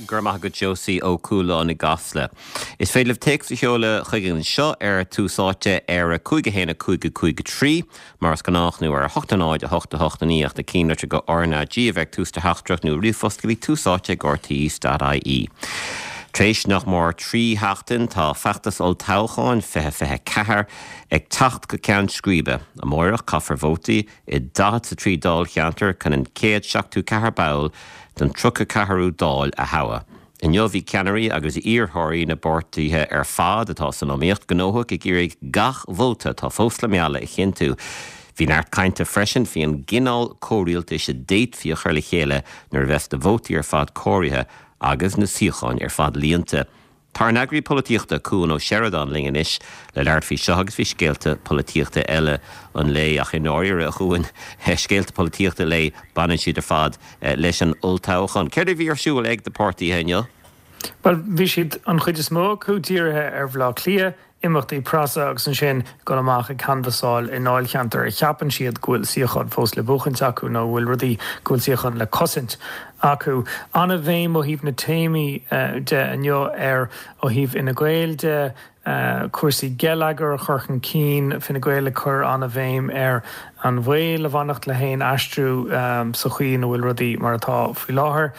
Go raibh maith agat Josie Ó Cualáin i gCasla. Is féidir libh téacs a sheoladh chuig anseo ar Tús Áite ar 5 1 5 5 3 mar is gnách nó ar 8 0 8 8 9 ach na cinnlitreacha go RnaG a bheith ag tús do theachtaireacht nó ríomhphost go dtí Tús Áite ag rte.ie. Tar éis nach mór 3 sheachtain tá feachtas olltoghcháin 2024 ag teacht go ceann scríbe. Amárach caithfear vótaí i 43 dáilcheantar chun an chéad 74 ball den 34ú Dáil a thoghadh. Inniu bhí ceannairí agus iarrthóirí na bpáirtithe ar fad atá san iomaíocht gnóthach ag iarraidh gach vóta atá fós le mealladh a chinntiú. Bhí neart cainte freisin faoi an gcineál comhrialtais a d'fhéadfaí a chur le chéile nuair a bheas na vótaí ar fad comhairithe agus na suíocháin ar fad líonta. Tá ár n-eagraí polaitíochta, Cuan Ó Seireadáin linn anois le labhairt faoi seo agus faoi scéalta polaitíochta eile an lae. Ach i ndáiríre, a Chuain, scéalta polaitíochta an lae, baineann siad ar fad leis an olltoghchán. Céard a bhí ar siúl ag na páirtithe inniu? Bhuel, bhí siad, an chuid is mó acu, dírithe ar Bhaile Átha Cliath, imeachtaí preasa agus ansin dul amach ag canbhasáil i ndáilcheantair a cheapann siad go bhfuil suíochán fós le buachaint acu nó a bhfuil rudaí, go bhfuil suíochán le cosaint acu. An-bhéim ó thaobh na téamaí de inniu ar, ó thaobh Fhine Gael de, cúrsaí geilleagair a chur chun cinn, Fine Gael ag cur an-bhéim ar an bhaol a bhainfeadh le haon aistriú sa chaoi ina bhfuil rudaí mar atá faoi láthair.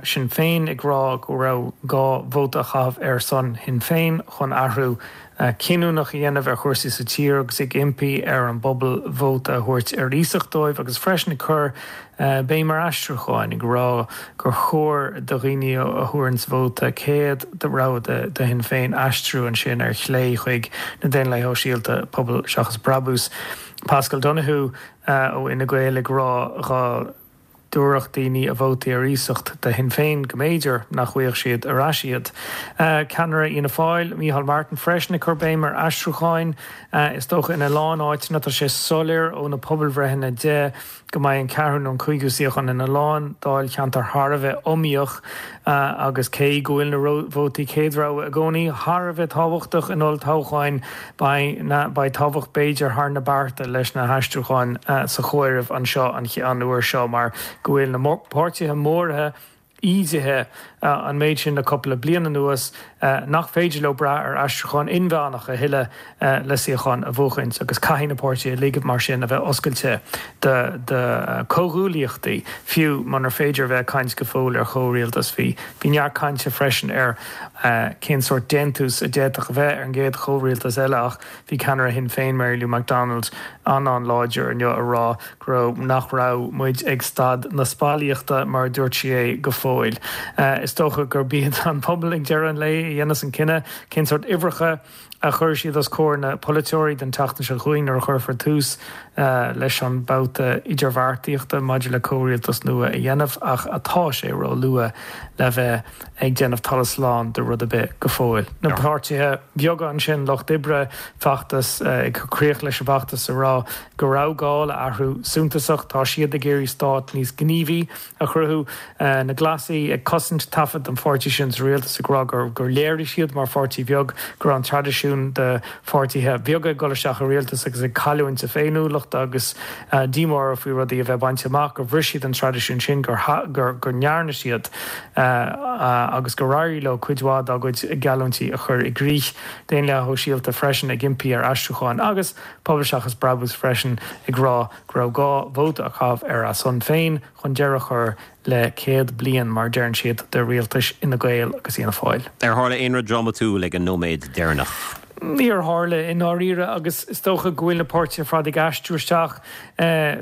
Sinn Féin ag rá go raibh gá vóta a chaitheamh ar son Shinn Féin chun athrú cinniúnach a dhéanamh ar chúrsaí sa tír agus ag impí ar an bpobal vóta a thabhairt ar iasacht dóibh agus freisin ag cur béim ar aistriúcháin, ag rá gur chóir do dhaoine a thabharanns vóta céad rogha do Shinn Féin aistriú ansin ar chlé chuig na Daonlathaithe Shóisialta, Pobal Seachas Brabús. Paschal Donohoe ó Fhine Gael ag rá dhá dtabharfadh daoine a vótaí ar iasacht do Shinn Féin go mb'fhéidir nach bhfaigheadh siad ar ais iad. Ceannaire Fhianna Fáil, Micheál Martin freisin ag cur béim ar aistriúcháin. Is dócha ina lán áiteanna tá sé soiléir ó na pobalbhreitheanna de go mbeidh an ceathrú nó an cúigiú suíochán ina lán dáilcheantar thar a bheith iomaíoch agus cé go bhfuil na vótaí céad rogha i gcónaí thar a bheith tábhachtach in olltoghcháin, beidh beidh tábhacht b'fhéidir thar na bearta leis na haistriúcháin sa chomhaireamh anseo an uair seo mar go bhfuil na páirtithe móra ídithe an méid sin le cúpla bliain anuas nach féidir leo brath ar aistriúchán inmheánach a thuilleadh le suíocháin a bhuachaint agus caithfidh na páirtithe uilig mar sin a bheith oscailte do chomhghuaillíochtaí, fiú munar féidir a bheith ag caint go fóill ar chomhrialtas. Bhí neart cainte freisin ar cén sórt déantús a d'fhéadfadh a bheith ar an gcéad chomhrialtas eile ach bhí ceannaire Shinn Féin, Mary Lou McDonald, an-an-láidir inniu a rá go raibh, nach raibh muid ag staid na spallaíochta, mar a dúirt sí é, go fóill. Is dócha gurb iad an pobal ag deireadh an lae a dhéanfas an cinneadh cén sórt uimhreacha a chuirfidh siad os comhair na polaiteoirí don tseachtain seo chugainn nuair a chuirfear tús leis an mbabhta idirbheartaíochta maidir le comhrialtas nua a dhéanamh ach atá sé róluath le bheith ag déanamh talamh slán de rud ar bith go fóill. Na páirtithe beaga ansin, Lucht Oibre, feachtas, ag cur críoch leis an bhfeachtas a rá go raibh gá le athrú suntasach. Tá siad ag iarraidh stát níos gníomhaí a chruthú. Na Glasaigh ag cosaint taifead an pháirtí sin sa rialtas ag rá gur léirigh siad mar pháirtí bheag go raibh an traidisiún de pháirtithe beaga ag dul isteach i rialtas agus ag cailliúint a féiniúlachta agus díomá orthu faoi rudaí a bheith bainte amach, gur bhris siad an traidisiún sin, gur go ndearna siad agus gur éirigh leo cuid mhaith dá gcuid geallúintí a chur i gcrích. Daonlathaithe Shóisialta freisin ag impí ar aistriúcháin agus Pobal Seachas Brabús freisin ag rá go raibh gá vóta a chaitheamh ar a son féin chun deireadh a chur le 100 bliain, mar a deireann siad, de rialtais Fhine Gael agus Fhianna Fáil. Ar tharla aon rud drámatúil ag an nóiméad deireanach? Níor tharla, i ndáiríre, agus is dócha go bhfuil na páirtithe ar fad ag aistriú isteach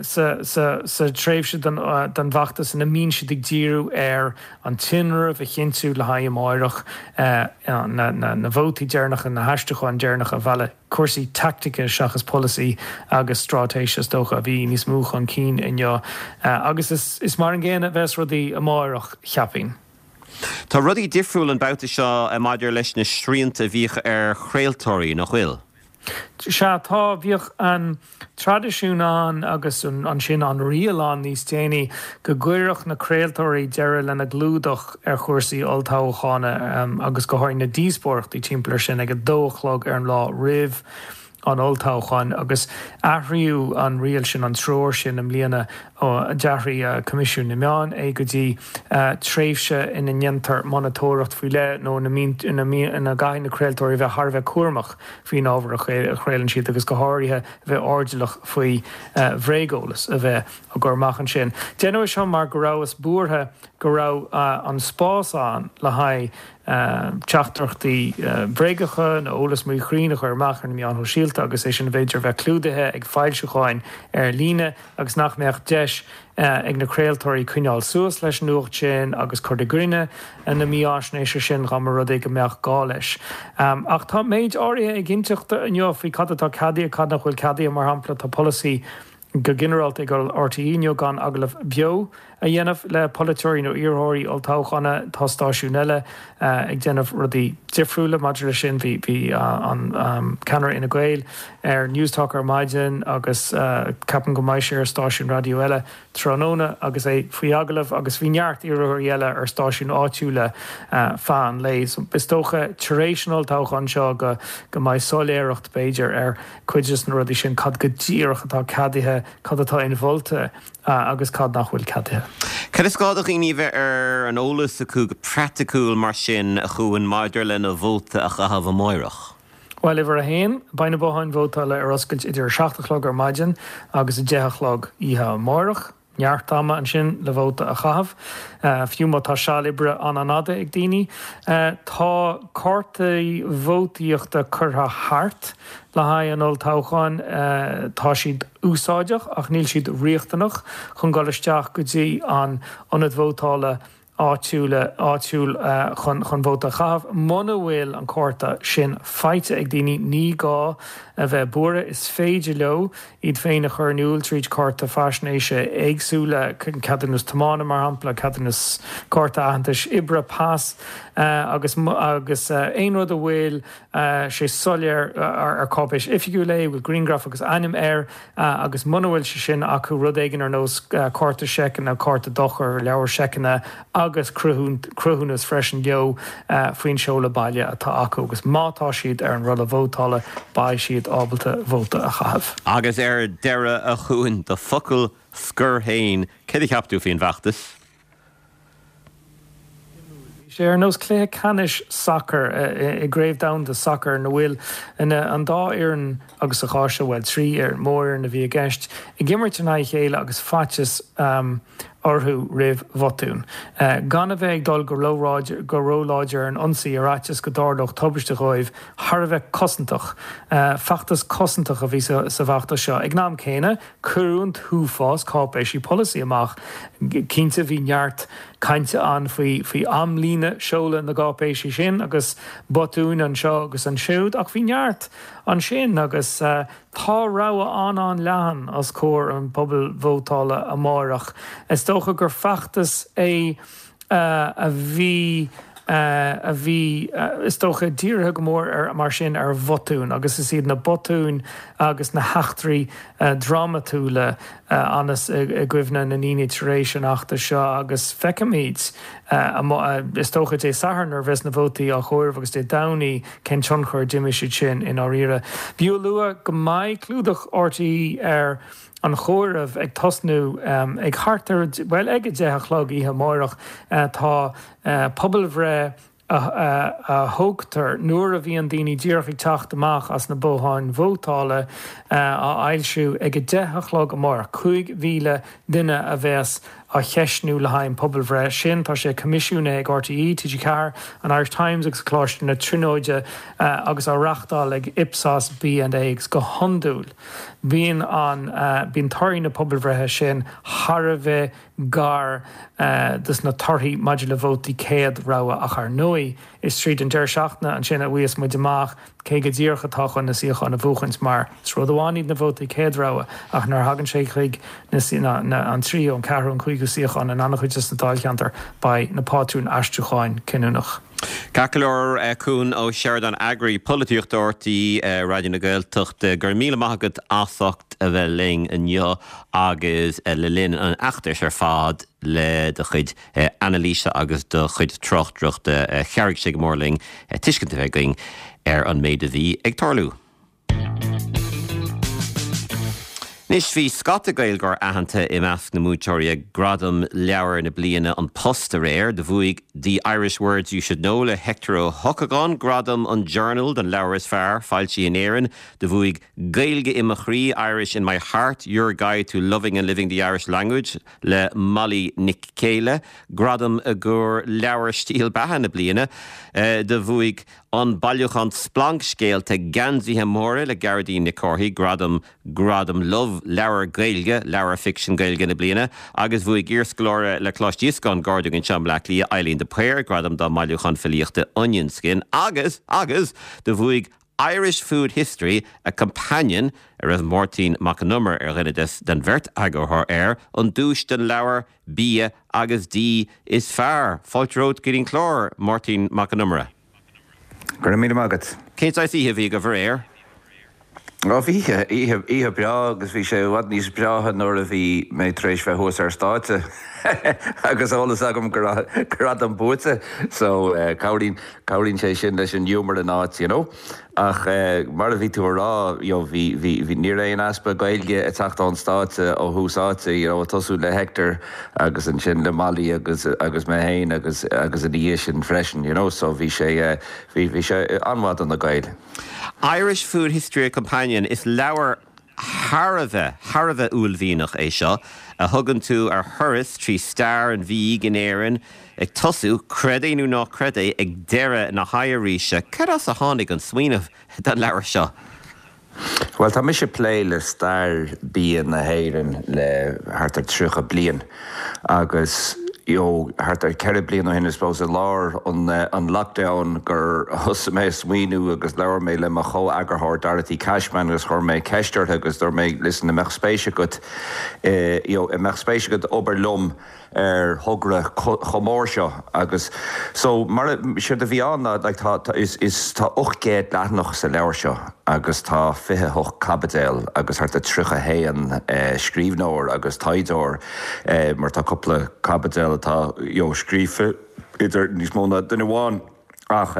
sa tréimhse den bhfeachtas ina mbíonn siad ag díriú ar an tinreamh a chinntiú le haghaidh amáireach, na vótaí deireanacha, na haistriúcháin deireanacha a mhealladh. Cúrsaí teaictice seachas polasaí agus straitéis is dócha a bhí níos mó chun cinn inniu agus is mar an gcéanna a bheas rudaí amáireach, cheapfainn. Tá rudaí difriúil an babhta seo maidir leis na srianta a bhíodh ar chraoltóirí, nach bhfuil? Sea, tá. Bhíodh an traidisiún ann agus ansin an riail ann níos déanaí go gcuirfeadh na craoltóirí deireadh lena gclúdach ar chúrsaí olltoghchána agus go háirithe na díospóireachtaí timpeall air sin ag a dó a chlog ar an lá roimh. an olltoghcháin agus athraíodh an riail sin, an treoir sin i mbliana, d'athraigh Coimisiún na Meán é go dtí tréimhse ina ndéantar monatóireacht faoi leith nó ina ina gcaithfidh na craoltóirí a bheith thar a bheith cúramach faoin ábhar a chraolann siad agus go háirithe a bheith airdeallach faoi bhréageolas a bheith á gcur amach ansin. Deineadh é seo mar go rabhthas buartha go raibh an spás ann le haghaidh teachtaireachtaí bréagacha nó eolas míchruinn a chur amach ar na meáin shóisialta agus é sin b'fhéidir a bheith clúdaithe ag foilseacháin ar líne agus nach mbeadh deis ag na craoltóirí coinneáil suas leis an nuacht sin agus cur i gcoinne na mífháisnéise sin dá mba rud é go mbeadh gá leis. Ach tá méid áirithe éiginnteachta inniu faoi cad atá ceadaithe, cad nach bhfuil ceadaithe. Mar shampla, tá polasaí go ginearálta ag RTÉ inniu gan agallamh beo a dhéanamh le polaiteoirí nó iarrthóirí olltoghchána. Tá stáisiúin eile ag déanamh rudaí difriúla maidir leis sin. Bhí an ceannaire Fhine Gael ar Newstalk ar maidin agus ceapaim go mbeidh sé ar stáisiún raidió eile tráthnóna agus é faoi agallamh agus bhí neart iarrthóirí eile ar stáisiúin áitiúla feadh an lae. So is dócha tar éis an olltoghcháin seo go mbeidh soiléireacht b'fhéidir ar cuid de na rudaí sin, cad go díreach atá ceadaithe, cad atá inmholta agus cad nach bhfuil ceadaithe. Cad is gá do dhaoine a bheith ar an eolas acu go praiticiúil mar sin, a Chuain, maidir lena vóta a chaitheamh amáireach? Bhuel, uimhir a haon, beidh na botháin vótála ar oscailt idir 7 a chlog ar maidin agus 10 a chlog oíche amáireach. Neart ama ansin le vóta a chaitheamh, fiú má tá seal oibre an-an-fhada ag daoine. Tá cártaí vótaíochta curtha thart le haghaidh an olltoghcháin. Tá siad úsáideach ach níl siad riachtanach chun dul isteach go dtí an ionad vótála. áitiúla áitiúil chun chun vóta a chaitheamh. Muna bhfuil an cárta sin faighte ag daoine, ní gá a bheith buartha, is féidir leo iad féin a chur in iúl tríd cárta faisnéise éagsúla, ceadúnas tiomána mar shampla, ceadúnas cárta aitheantais oibre, pas, agus agus aon rud a bhfuil sé soiléir ar cáipéis oifigiúil é, a bhfuil grianghraf agus ainm air, agus muna bhfuil sé sin acu, rud éigin ar nós cárta seiceanna, cárta dochair, leabhar seiceanna agus cruthúnas freisin leo faoin seoladh baile atá acu agus má tá siad ar an rolla vótála, beidh siad ábalta vóta a chaitheamh. Agus ar deireadh, a Chuain, do focal scoir féin, céard a cheap tú faoin bhfeachtas? Bhí sé ar nós cluiche ceannais sacair i gCraobh Domhanda Sacair ina bhfuil an dá fhoireann agus sa chás seo, bhuel, trí fhoireann, mórfhoireann a bhí i gceist, ag imirt in aghaidh a chéile agus faitíos orthu roimh bhotún. Gan a bheith ag dul go róláidir ar an ionsaí ar fhaitíos go dtarlódh tubaiste dhóibh, thar a bheith cosantach. Feachtas cosantach a bhí sa bhfeachtas seo. Ag an am céanna, Cuireadh an t-uafás cáipéisí polasaí amach. Cinnte, bhí neart cainte ann faoi faoi amlíne seoladh na gcáipéisí sin agus botúin anseo agus ansiúd, ach bhí neart ansin agus tá rogha an-an-leathan os comhair an phobail vótála amáireach. Is dócha gur feachtas é a bhí a bhí, is dócha, dírithe go mór ar, mar sin, ar bhotúin agus is iad na botúin agus na heachtraí drámatúla a fhanas i gcuimhne na ndaoine tar éis an fheachtais seo agus feicfimid, is dócha, Dé Sathairn nuair a bheas na vótaí á gcomhaireamh agus Dé Domhnaigh cén tionchar a d'imir siad sin i ndáiríre. B'fhiú a lua go mbeidh clúdach RTÉ ar an chomhaireamh ag tosnú ag thart ar, bhuel, ag a 10 a chlog oíche amáireach. Tá pobalbhreith a thógtar nuair a bhíonn daoine díreach ag teacht amach as na botháin vótála á fhoilsiú ag a 10 a chlog amáireach. 5,000 duine a bheas á cheistniú le haghaidh an pobalbhreith sin. Tá sé coimisiúnaithe ag RTÉ, TG4, an Irish Times agus Coláiste na Tríonóide agus á reachtáil ag Ipsos BNA agus go hiondúil Bíonn an, bíonn torthaí na pobalbhreithe sin thar a bheith gar dos na torthaí maidir le vótaí céad rogha ach ar ndóigh is tríd an deireadh seachtaine ansin a bhfaighidh muid amach cé go díreach atá chun na suíocháin a bhuachaint mar is rud amháin iad na vótaí céad rogha ach nuair a thagann sé chuig na, na, an tríú, an ceathrú, an cúigiú suíochán in an-chuid des na dáilcheantair beidh na pátrúin aistriúcháin cinniúnach. Ceart go leor, Cuan Ó Seireadáin, Eagraí Polaitíochta RTÉ Raidió na Gaeltachta, go raibh míle maith agat as ucht a bheith linn inniu agus le linn an fheachtais ar fad le do chuid anailíse agus do chuid tráchtaireachta. Chabhraigh sé go mór linn tuiscint a bheith againn ar an méid a bhí ag tarlú. Anois, bhí scata Gaeilgeoir aitheanta i measc na mbuaiteoirí ag Gradaim Leabhar na Bliana An Post aréir. Do bhuaigh The Irish Words You Should Know le Hector Ó hEochagáin gradam an Journal don leabhar is fearr foilsithe in Éirinn. Do bhuaigh Gaeilge i mo Chroí, Irish in My Heart, Your Guide to Loving and Living the Irish Language le Molly Nic Céile gradam i gcomhair Leabhar Stíl Beatha na Bliana. Do bhuaigh an bailiúchán splancsscéalta Geansaithe Móra le Gearóidín Nic Cárthaigh gradam Gradam Love Leabhar Gaeilge, Leabhar Ficsin Gaeilge na Bliana, agus bhuaigh iarscoláire le Coláiste Íosagáin gar dúinn anseo i mBleá Cliath, Eileen de Paor, gradam dá mbailiúchán filíochta Onion Skin, agus, agus, do bhuaigh Irish Food History, A Companion, a raibh Máirtín Mac Con Iomaire ar dhuine des den bheirt eagarthóir air, an duais don leabhar bia agus dí is fearr. Fáilte romhat go dtí an clár, Máirtín Mac Con Iomaire. Go raibh míle maith agat. Cén saghas oíche a bhí agaibh aréir? Ó bhí oíche, oíche, oíche breá agus bhí sé i bhfad níos breátha nuair a bhí mé tar éis bheith thuas ar stáitse agus eolas agam go raibh gradam buaite so cabhraíonn, cabhraíonn sé sin leis an ghiúmar in áit, you know. Ach mar a bhí tú a rá, you know, bhí, bhí, bhí, ní raibh aon easpa Gaeilge ag teacht ón stáitse ó thús áite, you know, ag tosú le Hector agus ansin le Molly agus, agus mé féin agus, agus ina dhiaidh sin freisin, you know, so bhí sé, bhí, bhí sé an-mhaith do na Gaeil. Irish Food History A Companion, Is leabhar thar a bheith, thar a bheith uaillmhianach é seo, a thugann tú ar thuras trí stair an bhídh in Éirinn, ag tosú, creid é nó ná creid é, ag deireadh na hoighearaoise. Cad as a tháinig an smaoineamh don leabhar seo? Bhuel, tá mise ag plé le stair bia na hÉireann le thart ar 30 bliain agus you know thart ar 4 bliana ó shin, I suppose, i lár an an lockdown gur thosaigh mé ag smaoineamh agus labhair mé le mo chomh-eagarthóir Dorothy Cashman agus chuir mé ceist uirthi agus dúirt mé listen, an mbeadh spéis agat i you know an mbeadh spéis agat obair liom ar thogra chomh mór seo agus so mar a, séard a bhí ann ná like tá, tá, is, is, tá 800 leathanach sa leabhar seo agus tá 28 caibideal agus thart ar 31 scríbhneoir agus taighdeoir mar tá cúpla caibideal atá you know scríofa idir níos mó ná duine amháin ach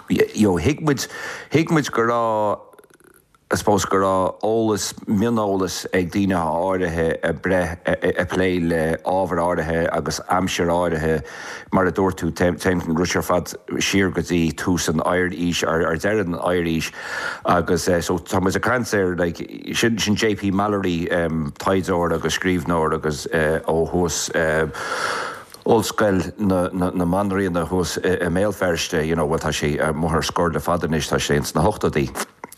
you know thuig muid, thuig muid go raibh. I suppose go raibh eolas, mioneolas ag daoine áirithe ag breith, ag plé le ábhair áirithe agus aimsir áirithe, mar a dúirt tú, téann an rud seo ar fad siar go dtí tús an oighearaois, ar deireadh an oighearaois agus so tá muid ag caint ar like sin, sin JP Mallory, taighdeoir agus scríbhneoir agus ó thuas, Ollscoil na Banríona thuas i mBéal Feirste, you know, bhuel tá sé amuigh ar scor le fada anois, tá sé ins na hochtóidí.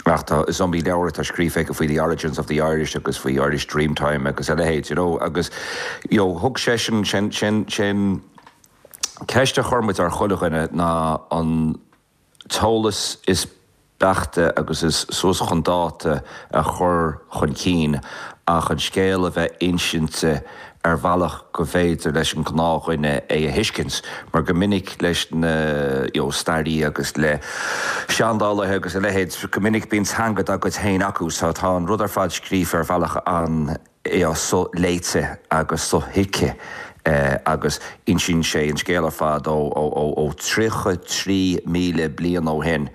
Ach tá, is iomaí leabhar atá scríofa aige faoi The Origins of the Irish agus faoi Irish Dreamtime agus a leithéid, you know, agus, you know, thug seisean, sin, sin, sin ceist a chuir muid ar chuile dhuine ná an t-eolas is beaichte agus is suas chun dáta a chur chun cinn ach an scéal a bheith insinte ar bhealach go bhféidir leis an ngnáthdhuine é a thuiscint mar go minic leis na you know staraithe agus le seandálaithe agus a leithéid go minic bíonn teanga dá gcuid féin acu so tá an rud ar fad scríofa ar bhealach an so-léite agus so-thuigthe agus insíonn sé an scéal ar fad ó 33,000 bliain ó shin,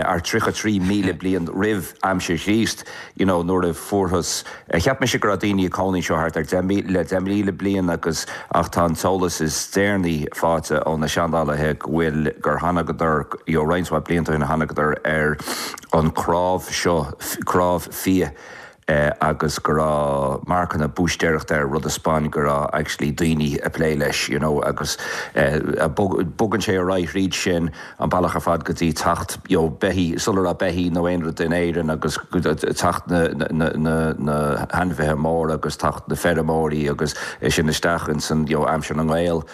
ar 33,000 bliain roimh aimsir Chríost, you know, nuair a fuarthas, cheap mise go raibh daoine ag cónaí anseo thart ar le 10,000 bliain agus ach tá an t-eolas is deireanaí faighte ó na seandálaithe go bhfuil, gur thánagadar, you know, roinnt mhaith blianta ó shin thánagadar ar an cnámh seo, cnámh fia. agus go raibh marcanna búistéireachta air, rud a 'speáin go raibh actually daoine ag plé leis, you know, agus bogann sé ar aghaidh thríd sin an bealach ar fad go dtí teacht, you know, beithí, sula raibh beithí nó aon rud in Éirinn agus teacht na, na, na, na hainmhithe móra agus teacht na feirmeoirí agus é sin isteach ins an, you know, aimsir na nGael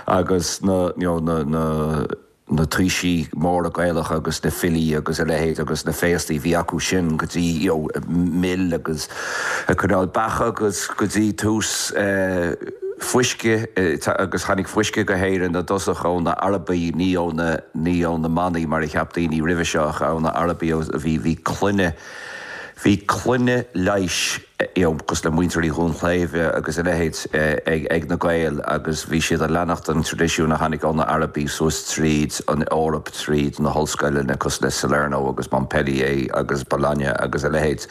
agus na, you know, na, na. na taoisigh móra Gaelacha agus na filí agus a leithéid agus na féastaí a bhí acu sin go dtí you know mil agus ag coinneáil beacha agus go dtí tús fuisce agus tháinig fuisce go hÉirinn i dtosach ó na Arabaigh ní ó na ní ó na manaigh mar a cheap daoine roimhe seo ach ó na Arabaigh bhí bhí clainne. Bhí clainne leighis, you know, cosúil le muintir Uí Dhúnchléibhe agus a leithéid ag na Gaeil agus bhí siad ag leanacht an traidisiún a tháinig ó na Arabaigh suas tríd an Eoraip, tríd na hollscoileanna cosúil le Salerno agus Montpellier agus Bologna agus a leithéid.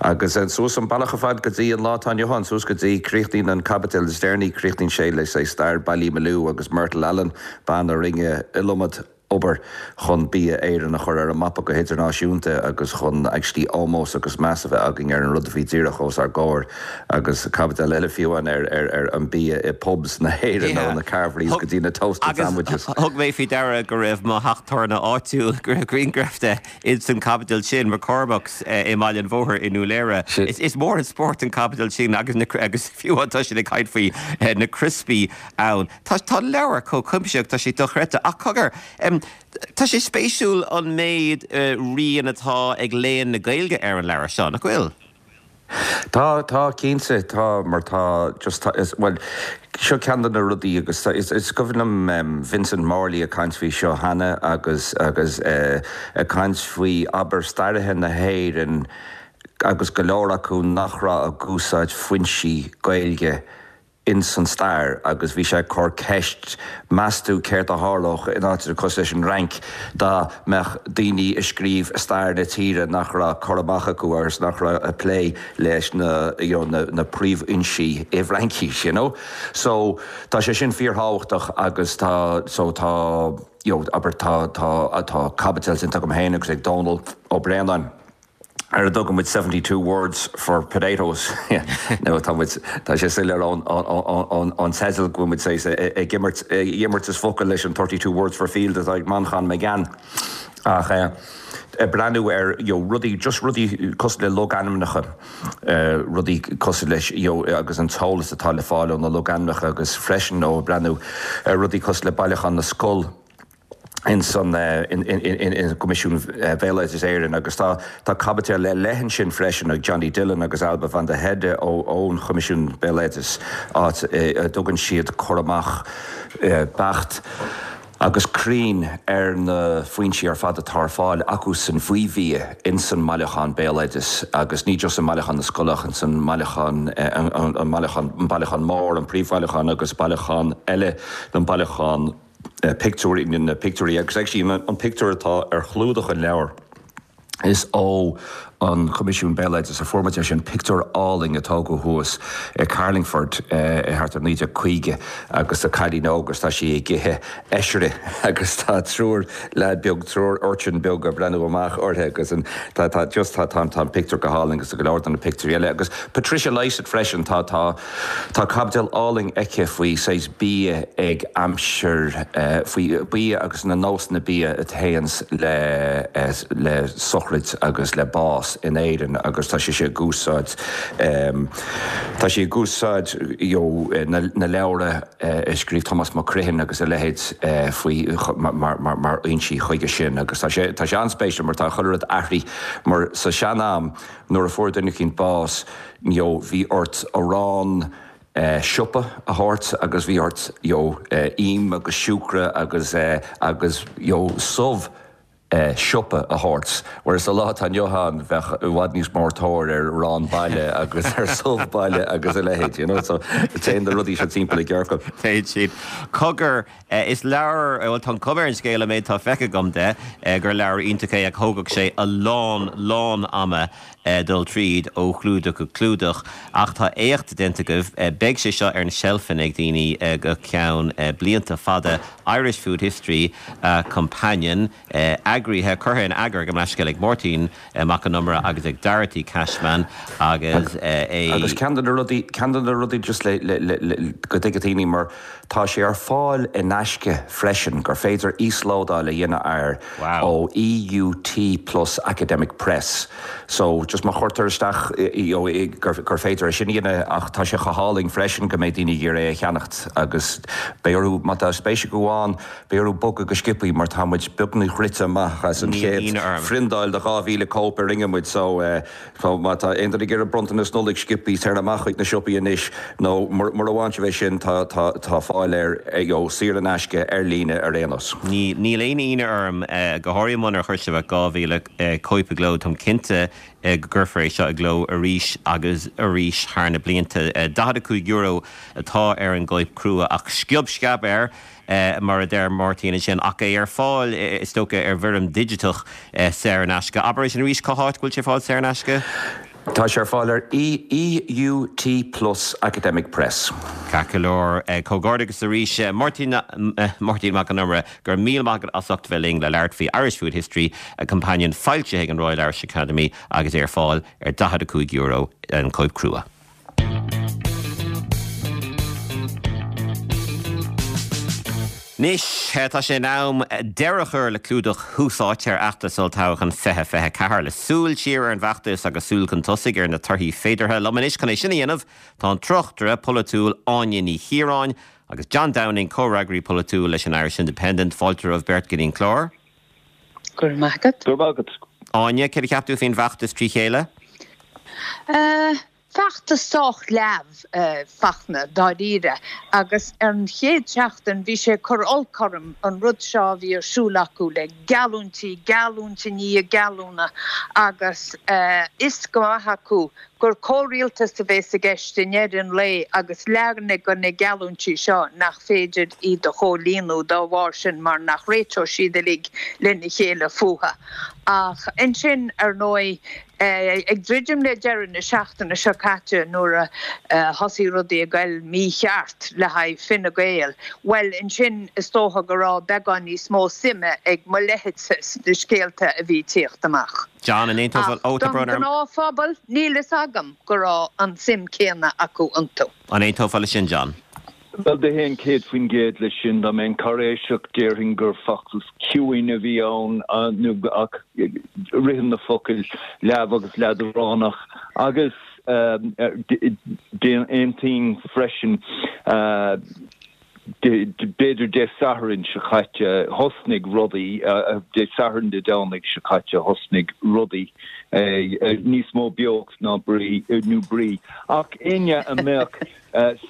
Agus suas an bealach ar fad go dtí an lá atá inniu ann, suas go dtí, críochnaíonn an caibidil is deireanaí, críochnaíonn sé le say stair Ballymaloe agus Myrtle Allen, bean a rinne iliomad obair chun bia Éireann a chur ar an mapa go hidirnáisiúnta agus chun actually ómós agus meas a bheith againn ar an rud a bhí díreach os ár gcomhair agus caibidil eile fiú ann ar ar an bia i pubs na hÉireann ó na carveries go dtí na toasted sandwiches. Agus thug mé faoi deara go raibh mo theach tábhairne áitiúil, go raibh grianghraf de ins an chaibidil sin, McCormack's i mBaile an Bhóthair i nDún Laoghaire. Is mór an spórt an caibidil sin agus agus fiú tá siad ag caint faoi na criospaí ann. Tá tá an leabhar chomh cuimsitheach, tá sé dochreidte. Ach cogar, tá sé spéisiúil an méid rian atá ag léann na Gaeilge ar an leabhar seo, nach bhfuil? Tá, tá, cinnte, tá, mar tá just, tá, is, bhuel, seo ceann de na rudaí agus tá, is, is cuimhin liom Vincent Morley ag caint faoi seo cheana agus, agus ag caint faoi, abair, staraithe na hÉireann agus go leor acu nach raibh ag úsáid foinsí Gaeilge ins an stair agus bhí sé ag cur ceist, meas tú céard a tharlódh in áiteanna cosúil leis an Fhrainc dá mbeadh daoine ag scríobh stair na tíre nach raibh cur amach acu agus nach raibh ag plé leis na you know na na príomhfhoinsí i bhFraincis you know. So tá sé sin fíorthábhachtach agus tá so tá you know abair tá tá tá caibidil déanta agam féin agus ag Dónal Ó Braonáin. ar a dtugann muid 72 words for potatoes nó tá muid, tá sé soiléir ón ón teideal go bhfuil muid saghas ag imirt imeartas focal leis an 32 words for field atá ag Manchán Magan ach ag breathnú ar you know rudaí, just rudaí cosúil le logainmneacha, rudaí cosúil leis you know agus an t-eolas atá le fáil ó na logainmneacha agus freisin ó breathnú ar rudaí cosúil le Bailiúchán na Scol. ins an gCoimisiún Bhéaloideas Éireann agus tá tá caibidil ar leith ansin freisin ag Johnny Dillon agus Ailbhe van der Heide ón Choimisiún Béaloideas áit a dtugann siad cur amach beacht agus cruinn ar na foinsí ar fad atá ar fáil acusan faoi bhia ins an mbailiúchán béaloideas agus ní just i mBailiúchán na Scol ach ins an mbailiúchán an bailiúchán an bailiúchán mór an príomhbhailiúchán agus bailiúchán eile an bailiúchán pictiúirí, na pictiúirí agus actually an pictiúr atá ar chlúdach an leabhair, is ó an Choimisiún Béaloideas a fuair muid é sin, pictiúr álainn a tógadh thuas i Carlingford i thart ar 1950 agus tá cailín óg agus tá sí ag ithe oisrí agus tá triúr leaid beag, triúr urchin beag ag breathnú amach uirthi agus an, tá, tá, just tá, tá, tá an pictiúr go hálainn agus tá go leor de na pictiúirí eile agus Patricia Lysaght freisin, tá, tá. Tá caibidil álainn aici faoi saghas bia ag aimsir, faoi bia agus na nósanna bia a théanns le le sochraid agus le bás in Éirinn agus tá sise ag úsáid, tá sí ag úsáid you know na na leabhra a scríobh Tomás Mac Criomhthain agus a leithéid faoi mar mar mar fhoinsí chuige sin agus tá sé tá sé an-spéisiúil mar tá chuile rud athraithe mar sa sean-am nuair a fuair duine eicínt bás you know bhí ort arán siopa a thabhairt agus bhí ort you know im agus siúcra agus agus you know subh siopa a thabhairt. Whereas sa lá atá inniu ann bheadh i bhfad níos mór tóir ar arán baile agus ar subh baile agus a leithéid, you know. So téann na rudaí seo timpeall i gciorcal. Téann siad. Cogar, is leabhar, bhuel tá an chuma ar an scéal, an méid atá feicthe agam de, gur leabhar iontach é ach thógfadh sé a lán, lán ama dul tríd ó chlúdach go clúdach. Ach tá éacht déanta agaibh. Beidh sé seo ar na seilfeanna ag daoine go ceann blianta fada. Irish Food History, A Companion, eagraithe, curtha in eagar gabh mo leithscéal ag Máirtín Mac Con Iomaire agus ag Dorothy Cashman agus é. Agus ceann de na rudaí, ceann de na rudaí just le, le, le, le, go dtuigfidh daoine mar tá sé ar fáil in aisce freisin, gur féidir íoslódáil a dhéanamh air ó EUT Plus Academic Press. So, just má chuirtear isteach you know gur, gur féidir é sin a dhéanamh ach tá sé chomh hálainn freisin go mbeidh daoine ag iarraidh é a cheannacht agus beidh orthu, má tá spéis acu ann, beidh orthu bogadh go sciobthaí mar tá muid beagnach rite amach as an chéad phriondáil de 2,000 cóip a rinne muid so eh, So, má tá aon duine ag iarraidh bronntanas Nollag sciobthaí, tar amach chuig na siopaí anois, nó mura bhfaigheann sibh é sin, tá, tá, tá fáil air, you know, saor in aisce ar líne ar aon nós. Níl, níl aon ionadh orm, go háirithe munar chuir sibh ach 2,000 cóip i gcló, táim cinnte go gcuirfear é seo i gcló arís agus arís thar na blianta. €45 atá ar an gcóip crua ach sciob sceab air, mar a deir Máirtín ansin, ach é ar fáil, is dócha, ar bhfoirm digiteach saor in aisce. Abair é sin arís, cá háit go bhfuil sé ar fáil saor in aisce? Tá sé ar fáil ar EUT Plus Academic Press. Ceart go leor. Comhghairdeachas arís, Máirtín, Máirtín Mac Con Iomaire, go raibh míle maith agat as ucht bheith linn le labhairt faoi Irish Food History, a Companion, foilsithe ag an Royal Irish Academy agus é ar fáil ar €45 an cóip crua. Anois, tá sé in am deireadh a chur le clúdach Thús Áite ar fheachtas Olltoghchán 2024, le súil siar ar an bhfeachtas agus súil chun tosaigh ar na torthaí féideartha. Liom anois chun é sin a dhéanamh tá an tráchtaire polaitiúil Áine Ní Chiaráin agus John Downing, comhfhreagraí polaitiúil leis an Irish Independent. Fáilte romhaibh beirt go dtí an clár. Go raibh maith agat. Go raibh maith agat. Áine, céard a cheap tú faoin bhfeachtas trí chéile? Feachtas sách leamh, Fachtna, dáiríre, agus ar an chéad seachtain bhí sé ag cur olc orm an rud seo a bhí ar siúl acu le geallúintí, geallúint i ndiaidh geallúna agus fhios go maith acu gur comhrialtas a bhéas i gceist i ndeireadh an lae agus lear de na geallúintí seo nach féidir iad a chomhlíonadh dá bharr sin mar nach réiteoidh siad uilig lena chéile fúthu. Ach ansin, ar ndóigh, Ag druidim le deireadh na seachtaine seo caite nuair a thosaigh rudaí ag goil mícheart le haghaidh Fine Gael, bhuel ansin is dócha go raibh beagán níos mó suime ag mo leithéidse sna scéalta a bhí ag tíocht amach. John, an aontófá, Ach don ghnáthphobal, níl fhios agam go raibh an tsuim céanna acu iontu. An aontófá leis sin, John? Bhuel, d'aontóinn 100% leis sin. Dá mbeinn cáiréiseach, déarfainn gur feachtas ciúin a bhí ann, nó ach ritheann na focail leamh agus leadránach. Agus d'aontóinn freisin, b'fhéidir Dé Sathairn seo caite, thosnaigh rudaí, Dé Sathairn, Dé Domhnaigh seo caite, thosnaigh rudaí, níos mó beocht ná brí, nó brí. Ach éinne a mbeadh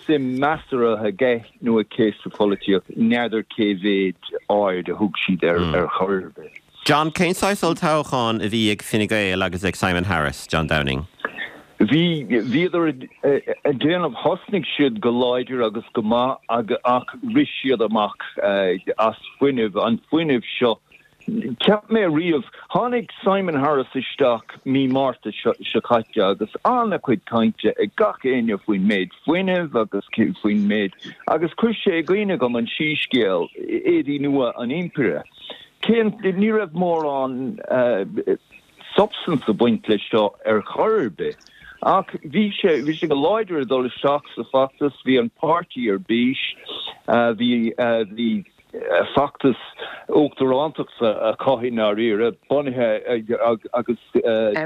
suim measartha aige nó aici sa pholaitíocht, n'fheadar cé mhéid aird a thug siad air ar chor ar bith. John, Cén saghas olltoghchán a bhí ag Fine Gael agus ag Simon Harris, John Downing? Bhí, bhíodar ag déanamh, thosnaigh siad go láidir agus go maith ach rith siad amach as fuinneamh, an fuinneamh seo Cheap mé riamh, tháinig Simon Harris isteach mí Márta seo caite agus an-chuid cainte ag gach éinne faoin méid fuinnimh agus faoin méid, agus chuir sé i gcuimhne dhom an síscéal, Éadaí Nua an Impire. Cén, ní raibh mórán substance ag baint leis seo ar chor ar bith. Ach bhí sé, bhí sé go láidir ag dul isteach sa bhfeachtas, bhí an páirtí ar bís, bhí, bhí. feachtas uachtarántachta acu i ndáiríre, bunaithe agus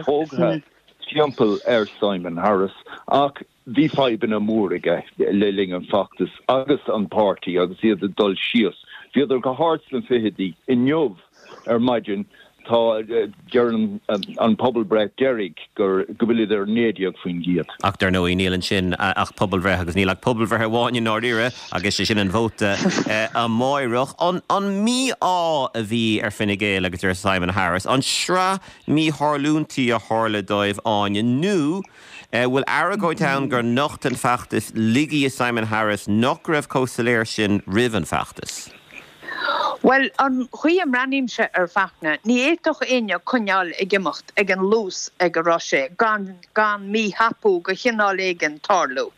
tógtha timpeall ar Simon Harris, ach bhí fadhbanna mór aige le linn an feachtais agus an páirtí agus iad ag dul síos. Bhíodar go hard sna fichidí. Inniu ar maidin Tá, deireann an pobalbhreith deiridh go bhfuilid ar 19%. Ach dar ndóigh níl ansin ach pobalbhreith agus níl ach pobalbhreith amháin i ndáiríre agus sé sin an vóta amáireach. An mí-ádh a bhí ar Fine Gael agus ar Simon Harris, an sraith mítharlúintí a tharla dóibh, Áine, nó bhfuil argóint ann gur nocht an feachtas laigí i Simon Harris nach raibh chomh soiléir sin roimh an bhfeachtas? Bhuel, an chaoi a mbreathnaímse air Fachtna, ní fhéadfadh éinne coinneáil ag imeacht ag an luas ag a raibh sé gan gan míthapú de chineál éigin tarlú.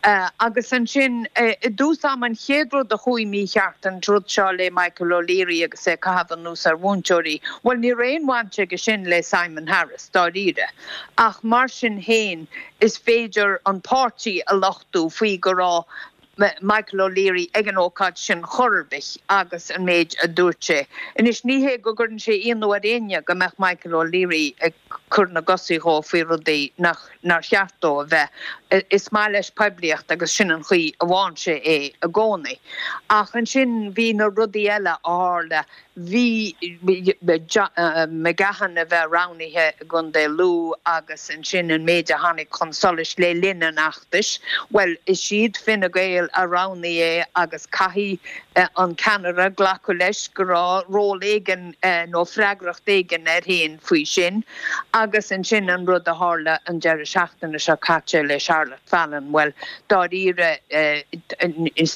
Agus ansin, i dtús ama, an chéad rud a chuaigh mícheart, an rud seo le Michael O'Leary agus é ag caitheamh anuas ar mhúinteoirí, bhuel, ní raibh aon bhaint aige sin le Simon Harris, dáiríre. Ach mar sin féin, is féidir an páirtí a lochtú faoi go raibh Michael O'Leary ag an ócáid sin chor ar bith agus an méid a dúirt sé. Anois, ní hé go gcuireann sé ionadh ar éinne go mbeadh Michael O'Leary ag cur na gcosaí dhó faoi rudaí nach nár cheart dó a bheith. Is maith leis poiblíocht agus sin an chaoi a bhfághann sé é i gcónaí. Ach ansin bhí na rudaí eile a tharla. Bhí McGahon a bheith roghnaithe i gContae Lú agus ansin an méid a tháinig chun solais le linn an fheachtais, bhuel, is iad Fine Gael a roghnaigh é agus caithfidh an ceannaire glacadh leis go raibh ról éigin nó freagracht éigin air féin faoi sin. Agus ansin an rud a tharla an deireadh seachtaine seo caite le Charlotte Fallon, bhuel, dáiríre,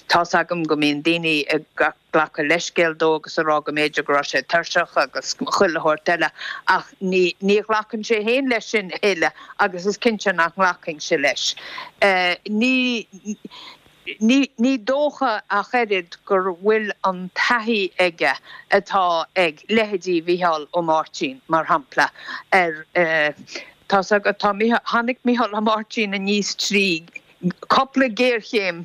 tá's agam go mbíonn daoine ag glacadh leithscéal dó agus a rá go mb'fhéidir go raibh sé tuirseach agus chuile shórt eile ach ní ní ghlacann sé féin leis sin a thuilleadh agus is cinnte nach nglacfainnse leis. Ní ní ní dócha ach oiread go bhfuil an taithí aige atá ag leithéidí Mhícheál Ó Máirtín, mar shampla, ar tá's agat tá tháinig Mícheál Ó Máirtín aníos trí cúpla géarchéim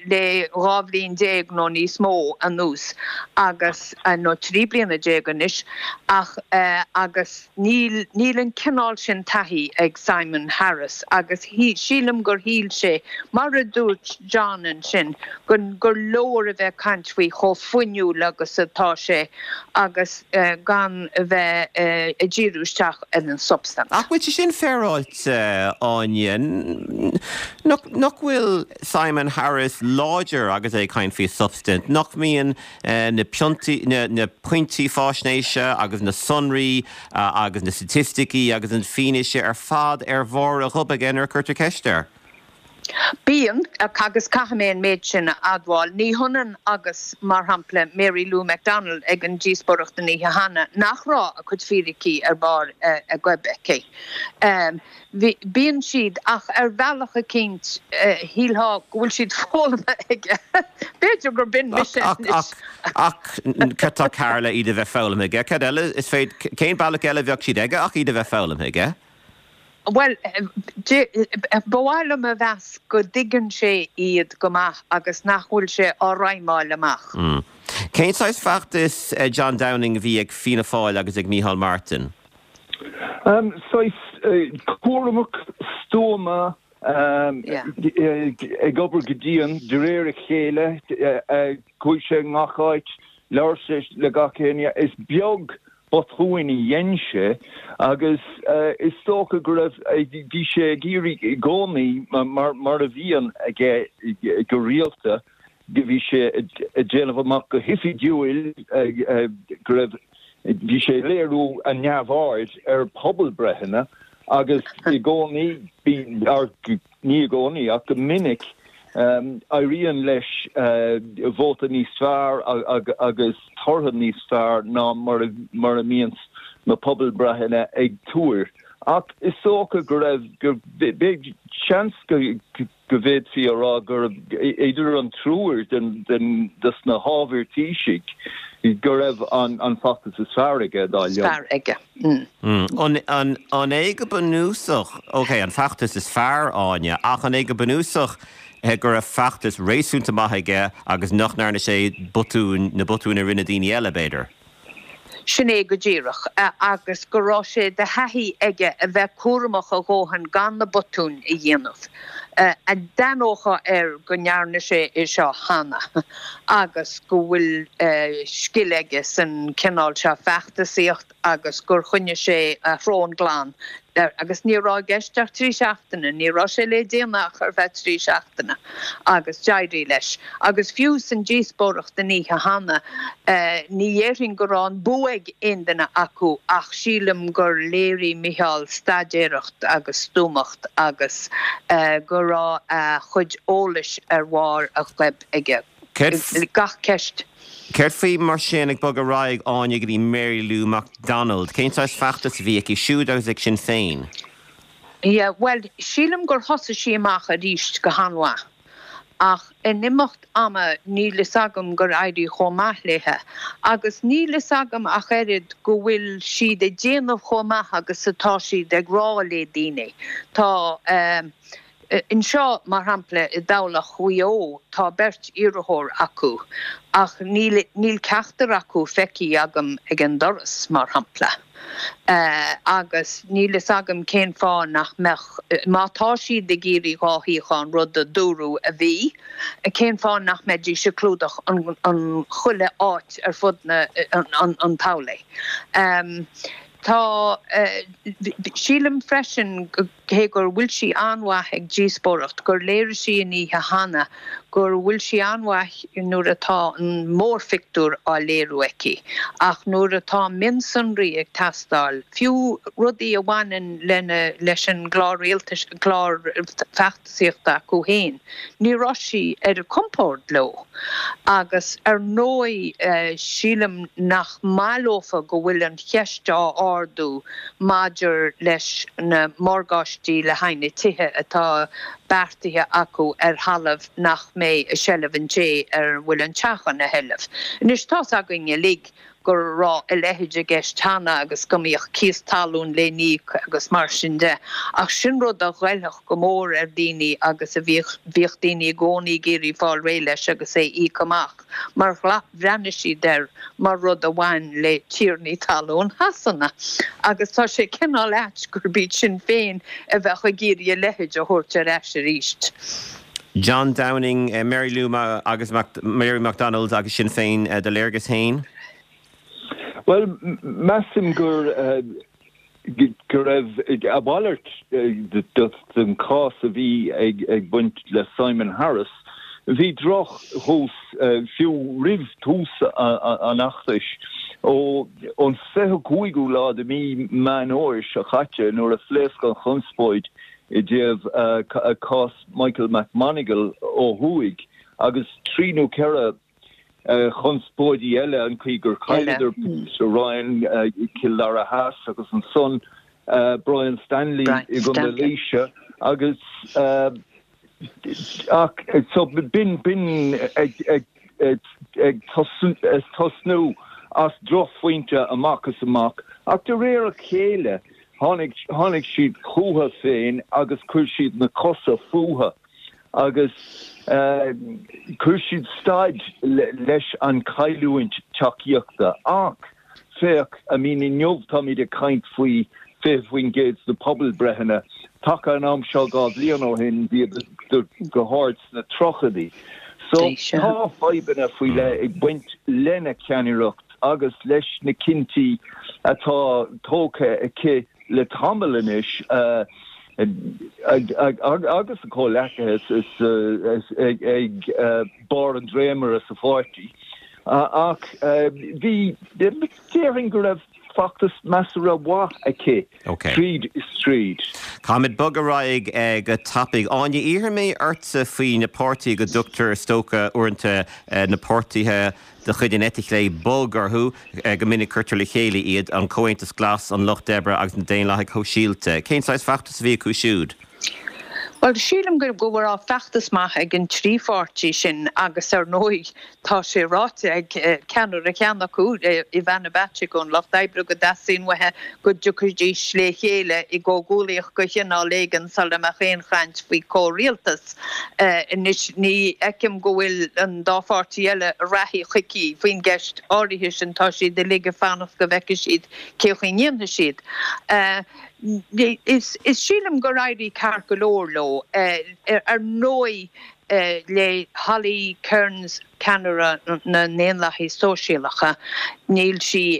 le 12 bhliain nó níos mó anuas agus, nó 13 bliana anois, ach agus níl, níl an cineál sin taithí ag Simon Harris agus sílim gur shíl sé, mar a dúirt John ansin, gur, gur leor a bheith ag caint faoi chomh fuinniúil agus atá sé agus gan a bheith ag díriú isteach ar an substaint. Ach bhfuil sé sin féaráilte, Áine? Nach bhfuil Simon Harris láidir agus é ag caint faoi substaint? Nach mbíonn na na pointí faisnéise agus na sonraí agus na staitisticí agus an fianaise ar fad ar bharr a ghob aige nuair a cuirtear ceist air? Bíonn, agus caithfidh mé an méid sin a admháil, ní hionann agus, mar shampla, Mary Lou McDonald ag an díospóireacht an oíche cheana, nach raibh a cuid fíricí ar barr a goib aici. Bíonn siad, ach ar bhealach eicínt, shílfeá go bhfuil siad foghlamtha aige. B'fhéidir gur b'in mise anois. Ach cad tá cearr le iad a bheith foghlamtha aige? Cad eile is féidir, cén bealach eile a bheadh siad aige ach iad a bheith foghlamtha aige? Bhuel, ba mhaith liom a mheas go dtuigeann sé iad go maith agus nach bhfuil sé á raghamáil amach. Cén saghas feachtais, John Downing, a bhí ag Fianna Fáil agus ag Micheál Martin? Saghas cúramach, stuama, ag obair go dian, de réir a chéile. Chuaigh sé i ngach áit, labhair sé le gach éinne. Is beag botúin a dhein sé agus is dócha go raibh, bhí sé ag iarraidh i gcónaí, mar a bhíonn aige go rialta, bhí sé ag déanamh amach go hoifigiúil go raibh, bhí sé ag léiriú a neamhaird ar pobalbreitheanna agus i gcónaí, Ní i gcónaí, ach go minic, éiríonn leis vóta níos fearr agus tortha níos fearr ná mar a mbíonns na pobalbreitheanna ag tuar. Ach is dócha go raibh, go, seans go bhféadfaí a rá gurb idir an triúr des na hábhair Taoisigh go raibh an feachtas is fearr aige, dar liom. An é go bunúsach, ok, an feachtas is fearr, Áine, ach an é go bunúsach go raibh feachtas réasúnta maith aige agus nach ndearna sé botúin, na botúin a rinne daoine eile, b'fhéidir? Sin é go díreach. Agus go raibh sé de thaithí aige a bheith cúramach a dhóthain gan na botúin a dhéanamh. D'aithneofá air go ndearna sé é seo cheana agus go bhfuil scil aige san cineál seo feachtasaíocht agus gur choinnigh sé a shrón glan agus ní raibh i gceist ach trí seachtaine, ní raibh sé le déanamh ach ar feadh trí seachtaine agus d'éirigh leis. Agus fiú san díospóireacht an oíche cheana, ní dhéarfainn go raibh an bua ag aon duine acu ach sílim gur léirigh Micheál staidéireacht agus stuamacht agus go raibh a chuid eolais ar bharr a ghoib aige. Gach ceist. Céard faoi mar sin, ag bogadh ar aghaidh, Áine, go dtí Mary Lou McDonald? Cén saghas feachtas a bhí aici siúd agus ag Sinn Féin? Yeah, bhuel, sílim gur thosaigh sí amach arís go han-mhaith. Ach in imeacht ama níl fhios agam gur éirigh chomh maith léithe. Agus níl fhios agam ach oiread go bhfuil siad ag déanamh chomh maith agus atá siad ag rá le daoine. Tá. Anseo, mar shampla, i dtoghlach Mhaigh Eo, tá beirt iarrthóir acu ach níl níl ceachtar acu feicthe agam ag an doras, mar shampla. Agus níl fhios agam cén fáth nach mbeadh, má tá siad ag iarraidh dhá shuíochán, rud a dúradh a bhí, cén fáth nach mbeidís ag clúdach an chuile áit ar fud na an toghlaigh. Tá, sílim freisin go. Cé gur bhfuil sí an-mhaith ag díospóireacht, gur léirigh sí an oíche cheana gur bhfuil sí an-mhaith nuair atá an mórphictiúr á léiriú aici, ach nuair atá mionsonraí ag teastáil, fiú rudaí a bhaineann lena leis an gclár rialtais, clár feachtasaíochta acu féin, ní raibh sí ar a compord leo. Agus ar ndóigh sílim nach maith leofa go bhfuil an cheist á ardú maidir leis na morgáistí le haghaidh na tithe atá beartaithe acu ar thalamh nach mbeidh i seilbh an té ar a bhfuil an teach ina sheilbh. Anois, tá's againn uilig go raibh a leithéid i gceist cheana agus go mbíodh cíos talún le n-íoc agus mar sin de, ach sin rud a ghoillfeadh go mór ar dhaoine agus a bhíodh bhíodh daoine i gcónaí ag iarraidh fáil réidh leis agus é a íoc amach. mar bhreathnaigh siad air mar rud a bhain le tiarnaí talún Shasana, agus tá sé cineál ait gurb iad Sinn Féin a bheadh ag iarraidh a leithéid a thabhairt ar ais arís. John Downing, Mary Lou agus Mary McDonald agus Sinn Féin, do léargas féin? Bhuel, measaim gur go raibh a mhalairt den chás a bhí ag baint le Simon Harris. Bhí droch-thús fiú roimh thús an fheachtais. Ón 25ú lá de mhí Meán Fhómhair seo caite nuair a phléasc an chonspóid i dtaobh cás Michael McMonagle ó thuaidh agus trí nó ceithre chonspóidí eile, an chaoi gur chailleadar Patricia Ryan i Cill Dara Theas agus ansan Brian Stanley i gContae Laoise agus ach so b'in b'in ag ag ag tosnú as drochphointe amach is amach ach de réir a chéile tháinig tháinig siad chucu féin agus chuir siad na cosa fúthu. agus chuir siad stad leis an chailliúint tacaíochta. Ach féach, I mean inniu táimid ag caint faoi 20% sna pobalbhreitheanna. Taca an am seo 2 bhliain ó shin bhíodar go hard sna tríochaidí. So tá fadhbanna faoi leith ag baint lena ceannaireacht agus leis na cinntí atá tógtha aici le tamall anois agus a comhleacaithe ag barr an dréimire sa pháirtí. Ach bhí, déarfainn go raibh feachtas measartha mhaith aici tríd is tríd. Caithfimid bogadh ar aghaidh go tapaidh. Áine, iarrfaidh mé ortsa faoi na páirtithe go dtugtar is dócha uaireanta na páirtithe de chuid an eite chlé bog orthu, go minic cuirtear le chéile iad, an Comhaontas Glas, an Lucht Oibre agus na Daonlathaigh Shóisialta. Cén saghas feachtas a bhí acu siúd? Bhuel, sílim go raibh feachtas maith ag an trí pháirtí sin agus ar ndóigh tá sé ráite ag ceannaire cheann acu, Ivana Bacik ón Lucht Oibre, go dteastaíonn uaithi go dtiocfaidís le chéile i gcomhghuaillíocht de chineál éigin sula mbeadh aon chaint faoi chomhrialtas. Anois, ní fheicim go bhfuil an dá pháirtí eile reathaithe chuici faoin gceist áirithe sin, tá siad uilig ag fanacht go bhfeicfidh siad cé chaoi ndéanfaidh siad. Is sílim gur éirigh ceart go leor leo. Ar ndóigh, le Holly Cairns, ceannaire na nDaonlathaithe Sóisialacha, níl sí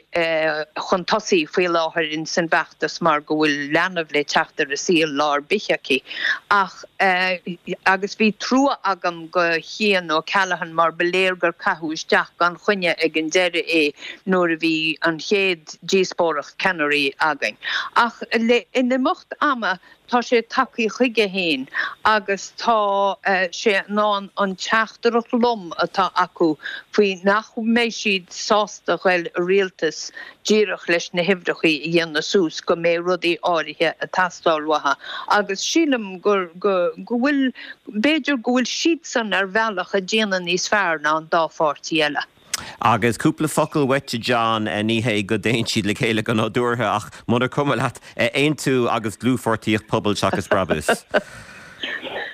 chun tosaigh faoi láthair ins an bhfeachtas mar go bhfuil leanbh le teacht ar an saol lá ar bith aici. Ach, agus bhí trua agam go Cian O'Callaghan mar ba léir gur caitheadh isteach gan choinne ag an deireadh é nuair a bhí an chéad díospóireacht ceannairí againn. Ach le in imeacht ama, Tá sé tagtha chuige féin agus tá sé in ann an teachtaireacht lom atá acu faoi nach mbeidh siad sásta ghoil i rialtas díreach leis na huimhreachaí a dhéanamh suas, go mbeidh rudaí áirithe ag teastáil uathu agus sílim go go bhfuil, b'fhéidir go bhfuil siadsan ar bhealach ag déanamh níos fearr ná an dá pháirtí eile. Agus cúpla focal uait a John, ní hé go dtéann siad le chéile go nádúrtha ach munar cuma leat, Aontú agus dlúthpháirtíocht Pobal seachas Brabús.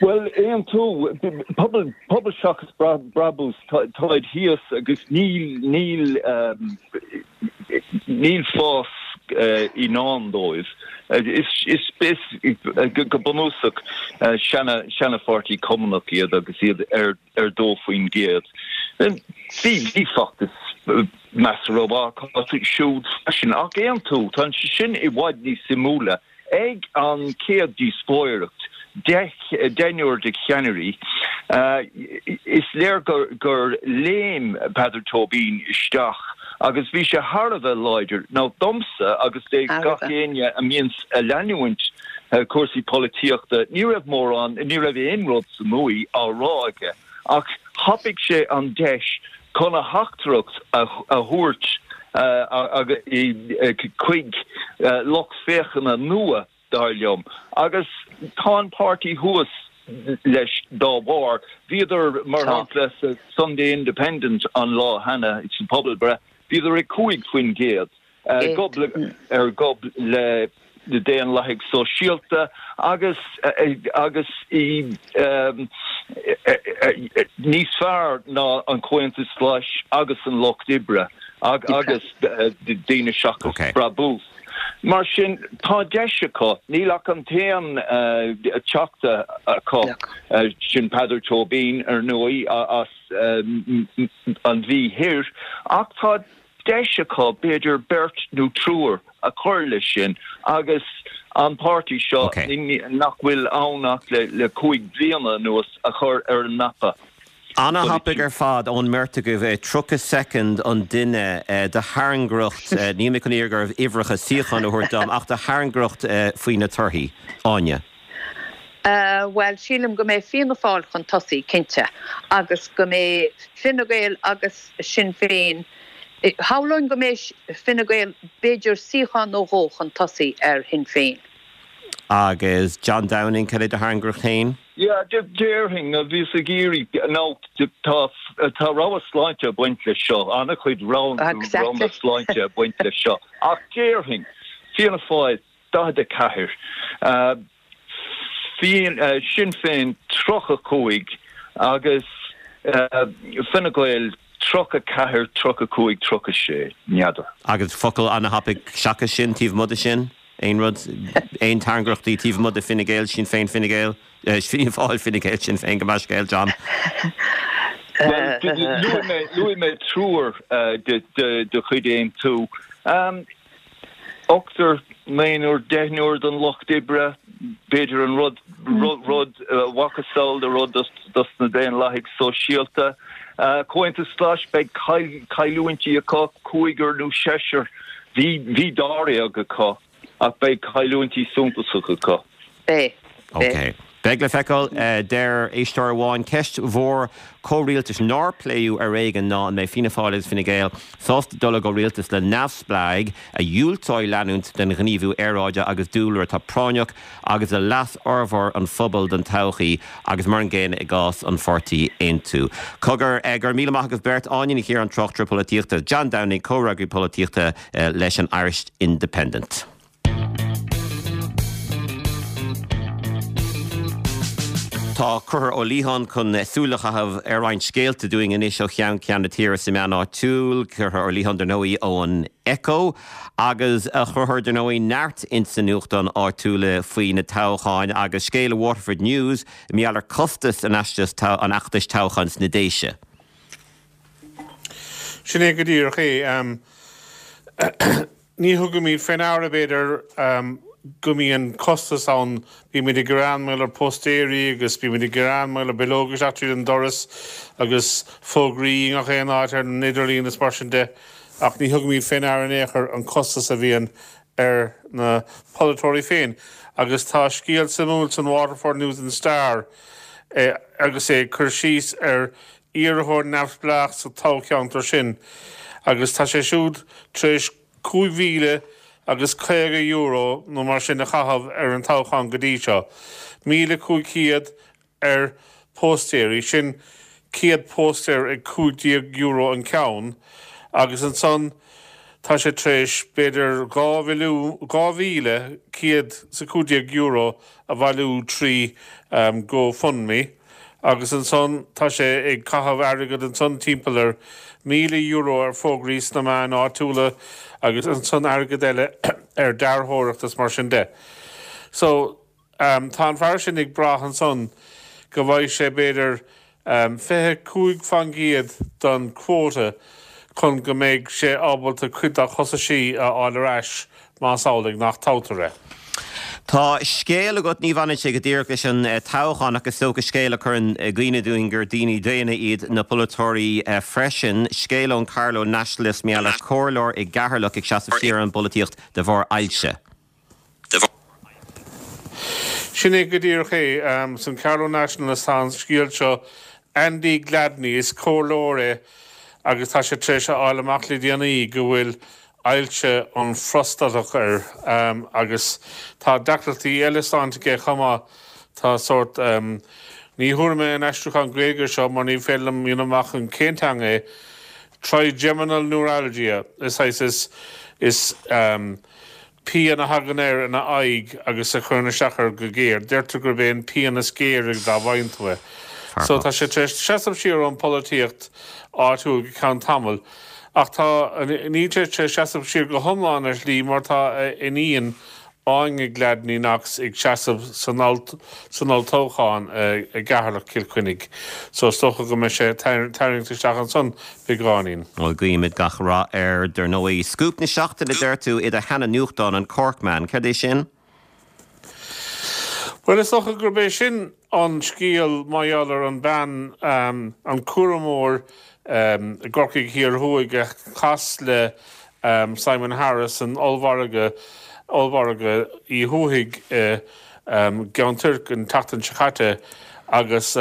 Bhuel, Aontú, pobal, pobal seachas brabús, táid thíos agus níl, níl, níl fás i ndán dóibh. Is, is, is, go bunúsach, seana, seana-pháirtí cumannach iad agus iad ar, ar 2%. Bhí, bhí feachtas measartha mhaith acu siúd freisin. Ach Aontú, tá sé sin i bhfad níos suimiúla. Ag an chéad díospóireacht, deichniúr de cheannairí, is léir gur léim Peadar Tóibín isteach agus bhí sé thar a bheith láidir. Now domsa agus do gach éinne a mbíonns ag leanúint cúrsaí polaitíochta, ní raibh mórán, ní raibh aon rud suimiúil á rá aige ach thapaigh sé an deis chun a theachtaireacht a thabhairt chuig lucht féachana nua, dar liom, agus tá an páirtí thuas leis dá bharr. Bhíodar, mar shampla, sa Sunday Independent an lá cheana, sa phobalbhreith, bhíodar ag 5%. Gob ar gob le Daonlathaigh Sóisialta agus agus í níos fearr ná an Comhaontas Glas agus an Lucht Oibre agus Daoine Seachas Brabús. Mar sin, tá deis acu. Níl ach an t-aon teachta acu, sin Peadar Tóibín, ar ndóigh, as an Mhí Thoir, ach tá deis acu b'fhéidir beirt nó triúr a chur leis sin agus an páirtí seo, nach bhfuil ann ach le 5 bliana anuas, a chur ar an mapa. Ana-thapaidh ar fad ón mbeirt agaibh. 30 soicind an duine do thairngreacht, níl mé chun iarraidh oraibh uimhreacha suíochán a thabhairt dom, ach do thairngreacht faoi na torthaí. Áine. Bhuel, sílim go mbeidh Fianna Fáil chun tosaigh, cinnte, agus go mbeidh Fine Gael agus Sinn Féin, shamhlóinn go mbeidh Fine Gael b'fhéidir suíochán nó dhó chun tosaigh ar Shinn Féin. Agus John Downing, cad é do thairngreacht féin? Yeah, déarfainn, bhíos ag iarraidh, nó tá, tá rogha sláinte ag baint leis seo, an-chuid roghanna sláinte ag baint leis seo, ach déarfainn, Fianna Fáil, 44, Sinn Féin 35 agus Fine Gael 34, 35, 36, n'fheadar. Agus focal ana-thapaidh seachas sin, taobh amuigh de sin? Aon rud, aon tairngreachtaí taobh amuigh de Fine Gael, Sinn Féin, Fine Gael, Fianna Fáil, Fine Gael, Sinn Féin, gabh mo leithscéal, John? Bhuel, luaigh mé triúr de chuid Aontú. Ochtar, naonúr, deichniúr don Lucht Oibre, b'fhéidir an rud, rud, macasamhail de rud dos na Daonlathaigh Sóisialta. Comhaontas Glas, beidh cailliúintí acu, cúigear nó seisear, bhí, bhí dáréag acu ach beidh cailliúintí suntasacha acu. Beidh. Ok. Beidh le feiceáil. Deir éisteoir amháin, ceist mhór comhrialtais nár pléadh ar éigean ná an mbeidh Fianna Fáil agus Fine Gael sásta dul i gcomhrialtas le neamhspleáigh a dhiúltóidh leanúint den ghníomhú aeráide agus dúlra atá práinneach agus le leas fhormhór an phobail don todhchaí agus mar an gcéanna i gcás an pháirtí Aontú. Cogar, go raibh míle maith agaibh beirt, Áine Ní Chiaráin, tráchtaire polaitíochta, John Downing, comhfhreagraí polaitíochta leis an Irish Independent. Tá Conchúr Ó Liatháin chun súil a chaitheamh ar roinnt scéalta dúinn anois ó cheann ceann na tíre sna meáin áitiúil. Conchúr Ó Liatháin, dar ndóigh, ón Echo. Agus a Chonchúir, dar ndóigh, neart ins na nuachtáin áitiúla faoi na toghcháin agus scéal i Waterford News i ngeall ar costas an an fheachtais toghcháin sna Déise. Sin é go díreach é. Ní thugaimid fé ndeara, b'fhéidir, go mbíonn costas ann. Bímid ag gearán mar gheall ar póstaeirí agus bímid ag gearán mar gheall ar bileoga isteach tríd an doras agus fógraí i ngach aon áit ar an idirlíon is mar sin de ach ní thugaimid fé ndeara in aon chor an costas a bhíonn ar na polaiteoirí féin. Agus tá scéal suimiúil san Waterford News and Star agus é ag cur síos ar iarrthóir neamhspleách sa toghcheantar sin agus tá sé siúd tar éis €5,000 agus €50 nó mar sin a chaitheamh ar an toghchán go dtí seo. 1,500 ar póstaeirí, sin 100 póstaer ag €15 an ceann, agus ansan. Tá sé tar éis b'fhéidir €2,115 a bhailiú trí GoFundMe agus ansan tá sé ag caitheamh airgead ansan timpeall ar €1,000 ar fógraí sna meáin áitiúla agus ansan airgead eile ar dearthóireacht is mar sin de. So. Tá an fear sin ag brath ansan go bhfaighidh sé b'fhéidir 25% den quota chun go mbeidh sé ábalta cuid dá chostaisí a fháil ar ais más amhlaidh nach toghtar é. Tá scéal agat, ní bhaineann sé go díreach leis an toghchán ach is dócha scéal a chuireann i gcuimhne dúinn gur daoine daonna iad na polaiteoirí freisin. Scéal ón Carlow Nationalist mar gheall ar chomhairleoir i gCeatharlach ag seasamh siar ón bpolaitíocht de bharr ailse. Sin é go díreach é. San Carlow Nationalist tá an scéal seo. Andy Gladney, is comhairleoir é agus tá sé tar éis a fháil amach le déanaí go bhfuil ailse an phrostatach air agus tá deacrachtaí eile sláinte aige chomh maith. Tá sórt, ní thabharfaidh mé an aistriúchán Gaeilge seo mar ní féidir liom a dhéanamh amach in cén teanga é, trigeminal neuralgia, is saghas, is, is, Pian a thagann air ina aghaidh agus a chuireann isteach air go géar. Deirtear gurb é an pian is géire dá bhfaigheann tú é. So tá sé tar éis seasamh siar ón pholaitíocht áitiúil go ceann tamaill. Ach tá, níl sé tar éis seasamh siar go hiomlán ar shlí mar tá a iníon Áine Gladney Knox ag seasamh san san olltoghchán i gCeatharlach Cill Chainnigh. So is dócha go mbeidh sé tarraingt isteach ansan beagáinín. Bhuel, guímid gach rath air, dar ndóigh. Scúp na seachtaine, deir tú, i do sheana-nuachtán, an Corkman. Céard é sin? Bhuel, is dócha gurb é sin an scéal mar gheall ar an bean, an cúramóir i gCorcaigh Thiar Thuaidh a chas le Simon Harris san ollmhargadh, ollmhargadh Uí Thuathaigh i gCeann Toirc an tseachtain seo caite agus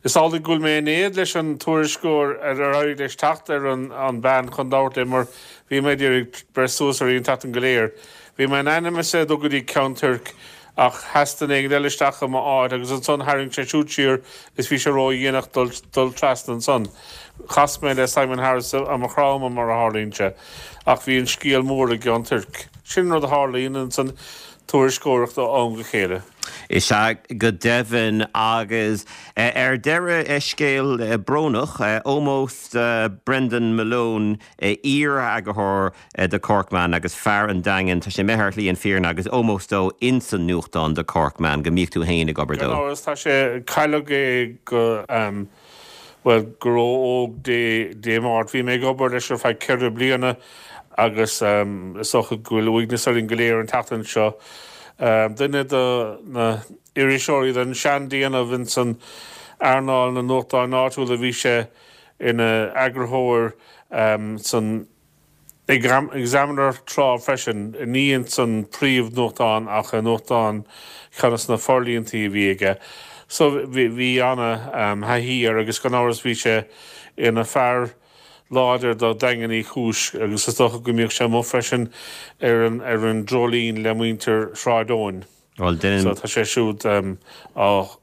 Is amhlaidh go bhfuil mé in éad leis an tuairisceoir ar éirigh leis teacht ar an bhean chun labhairt léi mar bhí mé ag iarraidh breith suas uirthi an tseachtain go léir. Bhí mé in ainm is é dul go dtí Ceann Toirc ach sheas duine éigin eile isteach i m'áit agus ansan tharraing sé siúd siar is bhí sé ró-dhéanach dul trasna ansan. Chas mé le Simon Harris i mo chrá ama mar a tharlaíonn sé ach bhí an scéal mór i gCeann Toirc. Sin an rud a tharlaíonn insan tuairisceoireacht ó am go chéile. Is ea go deimhin. Agus ar deireadh, scéal brónach, ómós do Brendan Malone, iar-eagarthóir The Corkman agus fear an Daingin. Tá sé imithe ar shlí an fírinne agus ómós dó ins an nuachtán The Corkman, go mbíodh tú fhéin ag obair dó. Gan amhras, tá sé, cailleadh é go, bhuel, go ró-óg Dé Máirt. Bhí mé ag obair leis ar feadh ceithre bliana agus is dócha go bhfuil uaigneas orainn go léir an tseachtain seo. Duine de na iriseoirí den seandéanamh ins an earnáil na nuachtáin áitiúla, bhí sé ina eagarthóir san Examiner tráth freisin, ní ins an príomh-nuachtán ach i nuachtán ceann des na forlíontaí a bhí aige. So bhí ana-thaithí air agus gan amhras bhí sé ina fear láidir do Dhaingean Uí Chúis agus is dócha go mbíodh sé amuigh freisin ar an ar an dreoilín le muintir Shráid Eoin. Bhuel, So tá sé siúd á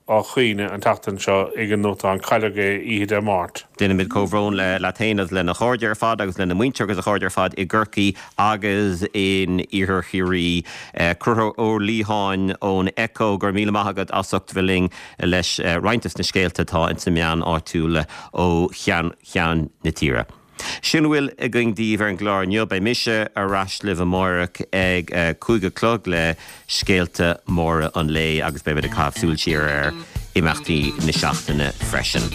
chaoineadh an tseachtain seo ag an nuachtán. Cailleadh é oíche Dé Máirt. Déanaimid comhbhrón leat féin agus lena chairde ar fad agus lena mhuintir agus a chairde ar fad i gCorcaigh agus in Iarthar Chiarraí. Conchúr Ó Liatháin ón Echo, go raibh míle maith agat as ucht bheith linn leis roinnt des na scéalta atá ins na meáin áitiúla ó cheann ceann na tíre. Sin a bhfuil againn daoibh ar an gclár inniu. Beidh mise ar ais libh amáireach ag 5 a chlog le scéalta móra an lae agus beimid ag caitheamh súil siar ar imeachtaí na seachtaine freisin.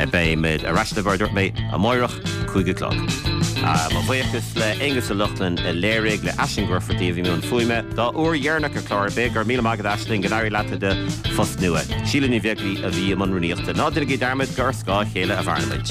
Beimid ar ais libh, mar a dúirt mé, amáireach, 5 a chlog. Mo bhuíochas le Aonghus Ó Lochlainn a léirigh, le Aisling Mhuircheartaigh a bhí i mbun fuaime dá uair dheireanach ar chlár ar bith. Go raibh míle maith agat Aisling, go n-éirí leat i do phost nua. Síle Ní Bheaglaoí a bhí i mbun rúnaíochta. Ná déanaigí dearmad gur ar scáth a chéile a mhaireann muid.